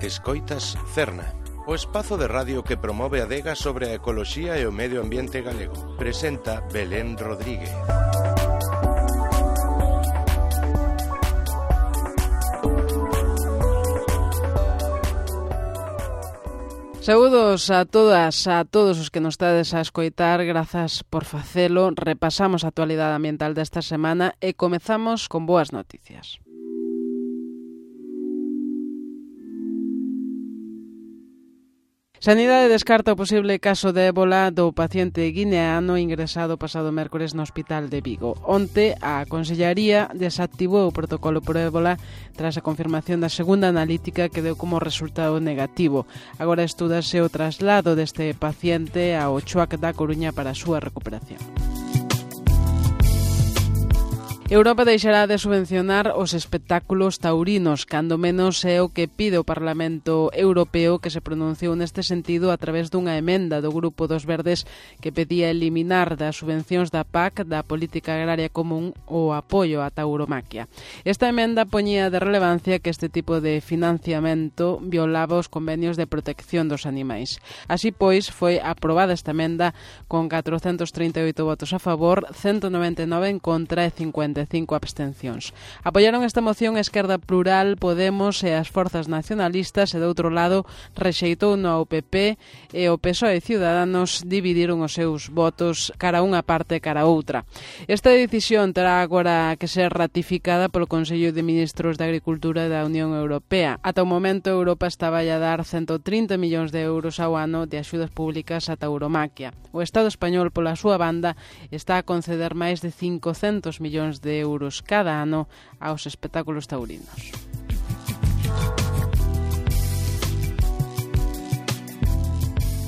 Escoitas Cerna, o espazo de radio que promove a adega sobre a ecoloxía e o medio ambiente galego. Presenta Belén Rodríguez. Saúdos a todas, a todos os que nos estades a escoitar, grazas por facelo. Repasamos a actualidade ambiental desta semana e comezamos con boas noticias. Sanidade descarta o posible caso de ébola do paciente guineano ingresado pasado mércores no hospital de Vigo. Onte, a Consellaría desactivou o protocolo por ébola tras a confirmación da segunda analítica que deu como resultado negativo. Agora estúdase o traslado deste paciente ao CHUAC da Coruña para a súa recuperación. Europa deixará de subvencionar os espectáculos taurinos, cando menos é o que pide o Parlamento Europeo, que se pronunciou neste sentido a través dunha emenda do Grupo dos Verdes que pedía eliminar das subvencións da PAC, da Política Agraria Común, o apoio á tauromaquia. Esta emenda poñía de relevancia que este tipo de financiamento violaba os convenios de protección dos animais. Así pois, foi aprobada esta emenda con 438 votos a favor, 199 en contra e 55 abstencións. Apoiaron esta moción a Esquerda Plural, Podemos e as forzas nacionalistas e, do outro lado, rexeitou no ao PP e o PSOE e Ciudadanos dividiron os seus votos cara a unha parte e cara a outra. Esta decisión terá agora que ser ratificada polo Consello de Ministros de Agricultura da Unión Europea. Ata o momento, Europa estaba a dar 130 millóns de euros ao ano de axudas públicas á tauromaquia. O Estado español, pola súa banda, está a conceder máis de 500 millóns de euros cada ano aos espectáculos taurinos.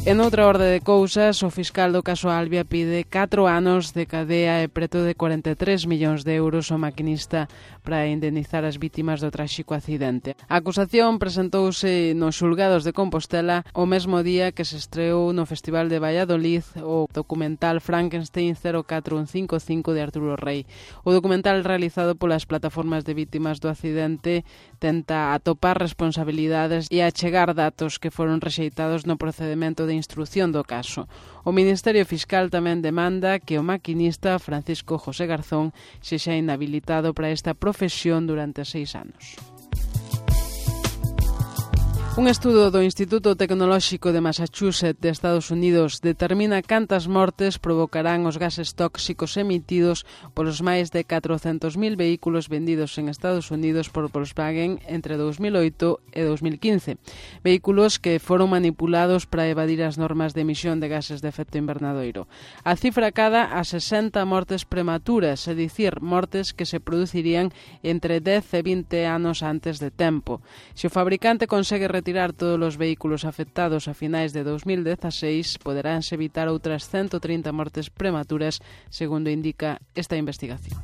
En outra orde de cousas, o fiscal do caso Albia pide 4 anos de cadea e preto de 43 millóns de euros ao maquinista para indemnizar as vítimas do tráxico accidente. A acusación presentouse nos xulgados de Compostela o mesmo día que se estreou no Festival de Valladolid o documental Frankenstein 04155 de Arturo Rey. O documental realizado polas plataformas de vítimas do accidente tenta atopar responsabilidades e achegar datos que foron rexeitados no procedemento de instrución do caso. O Ministerio Fiscal tamén demanda que o maquinista Francisco José Garzón sexa inhabilitado para esta profesión durante 6 anos. Un estudo do Instituto Tecnolóxico de Massachusetts de Estados Unidos determina cantas mortes provocarán os gases tóxicos emitidos polos máis de 400.000 vehículos vendidos en Estados Unidos por Volkswagen entre 2008 e 2015. Vehículos que foron manipulados para evadir as normas de emisión de gases de efecto invernadoiro. A cifra cada a 60 mortes prematuras, é dicir, mortes que se producirían entre 10 e 20 anos antes de tempo. Se o fabricante consegue retirar todos os vehículos afectados a finais de 2016, poderánse evitar outras 130 mortes prematuras, segundo indica esta investigación.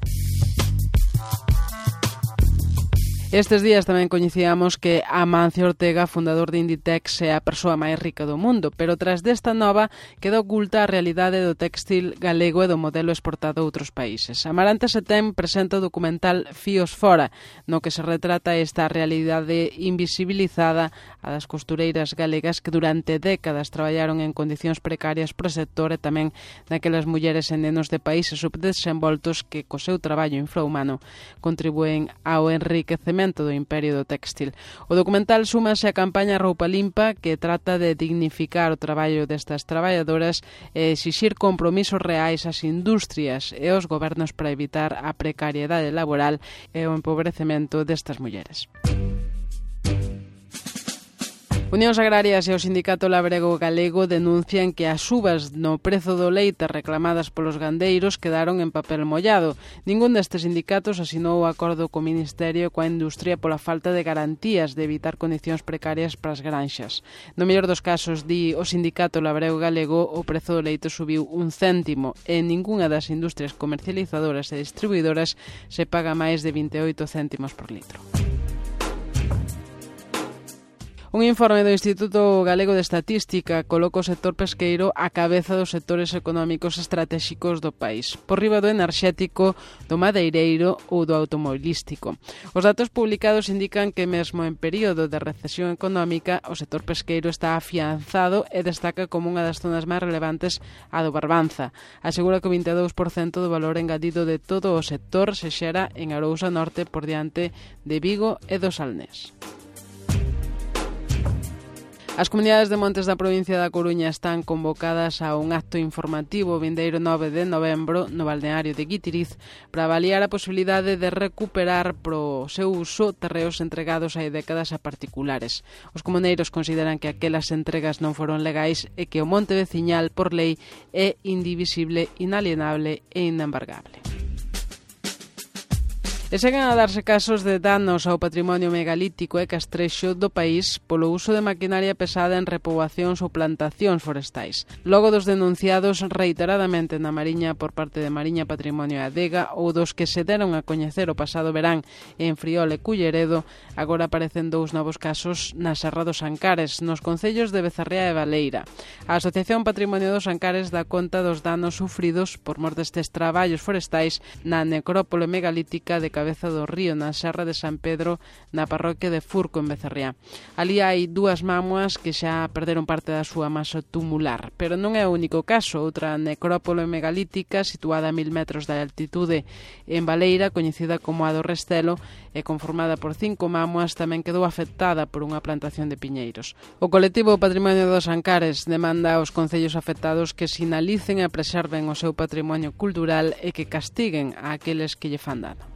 Estes días tamén coñecíamos que Amancio Ortega, fundador de Inditex, é a persoa máis rica do mundo, pero tras desta nova queda oculta a realidade do téxtil galego e do modelo exportado a outros países. Amarante Setén presenta o documental Fíos Fora, no que se retrata esta realidade invisibilizada a das costureiras galegas que durante décadas traballaron en condicións precarias pro sector e tamén daquelas mulleres e nenos de países subdesenvoltos que co seu traballo infrahumano contribúen ao enriquecemento do imperio do téxtil. O documental súmase á campaña Roupa Limpa, que trata de dignificar o traballo destas traballadoras e exixir compromisos reais ás industrias e aos gobernos para evitar a precariedade laboral e o empobrecemento destas mulleres. Unións Agrarias e o Sindicato Labrego Galego denuncian que as subas no prezo do leite reclamadas polos gandeiros quedaron en papel mollado. Ningún destes sindicatos asinou o acordo co Ministerio e coa industria pola falta de garantías de evitar condicións precarias para as granxas. No mellor dos casos, di o Sindicato Labrego Galego, o prezo do leite subiu 1 céntimo e en ningunha das industrias comercializadoras e distribuidoras se paga máis de 28 céntimos por litro. Un informe do Instituto Galego de Estatística coloca o sector pesqueiro á cabeza dos sectores económicos estratéxicos do país, por riba do enerxético, do madeireiro ou do automobilístico. Os datos publicados indican que mesmo en período de recesión económica o sector pesqueiro está afianzado e destaca como unha das zonas máis relevantes a do Barbanza. Asegura que o 22% do valor engadido de todo o sector se xera en Arousa Norte por diante de Vigo e do Salnés. As comunidades de montes da provincia da Coruña están convocadas a un acto informativo vindeiro 9 de novembro no balneario de Guitiriz para avaliar a posibilidade de recuperar pro seu uso terreos entregados hai décadas a particulares. Os comuneiros consideran que aquelas entregas non foron legais e que o monte veciñal, por lei, é indivisible, inalienable e inembargable. E seguen a darse casos de danos ao patrimonio megalítico e castrexo do país polo uso de maquinaria pesada en repoboacións ou plantacións forestais. Logo dos denunciados reiteradamente na Mariña por parte de Mariña Patrimonio e Adega ou dos que se deron a coñecer o pasado verán en Friol e Culleredo, agora aparecen dous novos casos na Serra dos Ancares, nos concellos de Becerrea e Baleira. A Asociación Patrimonio dos Ancares dá conta dos danos sufridos por mor destes traballos forestais na necrópole megalítica de Cabeza do Río, na Serra de San Pedro, na parroquia de Furco, en Becerrea. Ali hai dúas mámoas que xa perderon parte da súa masa tumular, pero non é o único caso. Outra necrópole megalítica, situada a 1000 metros de altitude en Baleira, coñecida como a do Restelo, e conformada por 5 mámoas, tamén quedou afectada por unha plantación de piñeiros. O colectivo Patrimonio dos Ancares demanda aos concellos afectados que sinalicen e preserven o seu patrimonio cultural e que castiguen a aqueles que lle fan dano.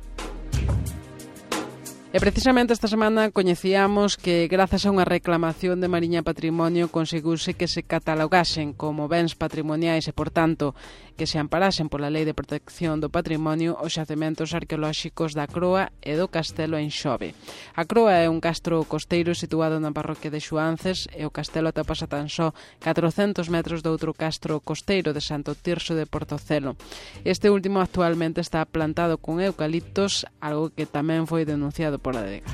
E precisamente esta semana coñecíamos que grazas a unha reclamación de Mariña Patrimonio conseguiuse que se catalogasen como bens patrimoniais e, por tanto, que se amparasen pola Lei de Protección do Patrimonio os xacementos arqueolóxicos da Croa e do Castelo en Xove. A Croa é un castro costeiro situado na parroquia de Xuances e o castelo atopase a tan só 400 metros de outro castro costeiro de Santo Tirso de Portocelo. Este último actualmente está plantado con eucaliptos, algo que tamén foi denunciado por Adega.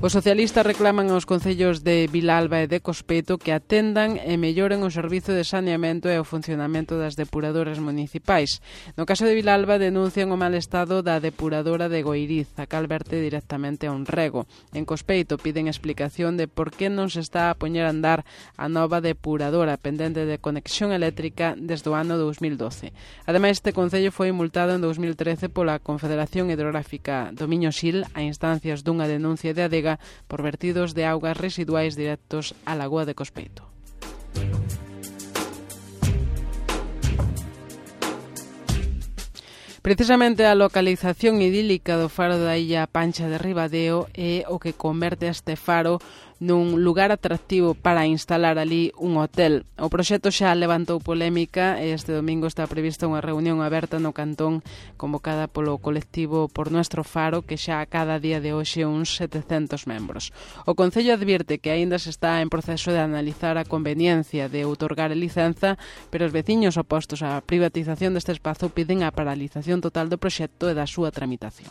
Os socialistas reclaman aos concellos de Vilalba e de Cospeto que atendan e melloren o servizo de saneamento e o funcionamento das depuradoras municipais. No caso de Vilalba denuncian o mal estado da depuradora de Goiriz, a cal verte directamente a un rego. En Cospeito piden explicación de por que non se está a poñer a andar a nova depuradora pendente de conexión eléctrica desde o ano 2012. Ademais, este concello foi multado en 2013 pola Confederación Hidrográfica do Miño-Sil a instancias dunha denuncia de Adega por vertidos de augas residuais directos á lagoa de Cospeito. Precisamente a localización idílica do faro da Illa Pancha de Ribadeo é o que converte este faro nun lugar atractivo para instalar ali un hotel. O proxecto xa levantou polémica e este domingo está prevista unha reunión aberta no Cantón convocada polo colectivo Por Nuestro Faro, que xa a cada día de hoxe uns 700 membros. O Concello advirte que aínda se está en proceso de analizar a conveniencia de outorgar a licenza, pero os veciños opostos á privatización deste espazo piden a paralización total do proxecto e da súa tramitación.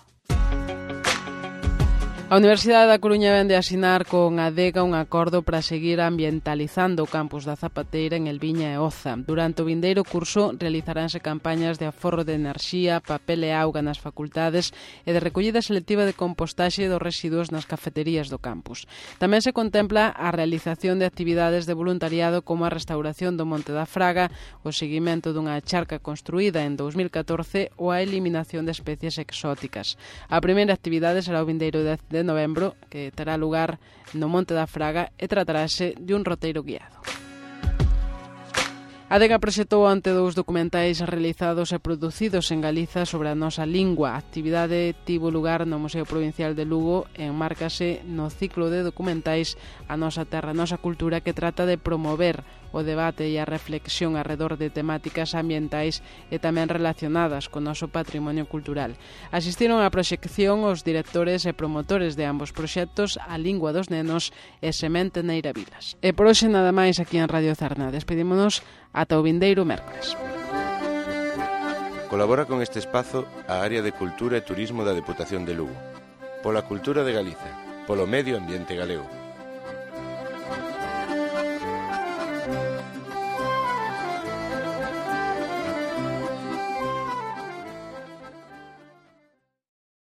A Universidade da Coruña vende a asinar con Adega un acordo para seguir ambientalizando o campus da Zapateira en Elviña e Oza. Durante o vindeiro curso realizaránse campañas de aforro de enerxía, papel e auga nas facultades e de recollida selectiva de compostaxe dos residuos nas cafeterías do campus. Tamén se contempla a realización de actividades de voluntariado como a restauración do Monte da Fraga, o seguimento dunha charca construída en 2014 ou a eliminación de especies exóticas. A primeira actividade será o vindeiro 10 de novembro, que terá lugar no Monte da Fraga e tratarase de un roteiro guiado. Adega proxectou ante 2 documentais realizados e producidos en Galiza sobre a nosa lingua. A actividade tivo lugar no Museo Provincial de Lugo e enmárcase no ciclo de documentais A Nosa Terra, a Nosa Cultura, que trata de promover o debate e a reflexión arredor de temáticas ambientais e tamén relacionadas co noso patrimonio cultural. Asistiron á proxección os directores e promotores de ambos proxectos, A Lingua dos Nenos e Semente Neira Vilas. E por hoxe nada máis aquí en Radio Cerna. Despedímonos ata o vindeiro mércores. Colabora con este espazo a Área de Cultura e Turismo da Deputación de Lugo. Pola cultura de Galiza, polo medio ambiente galego.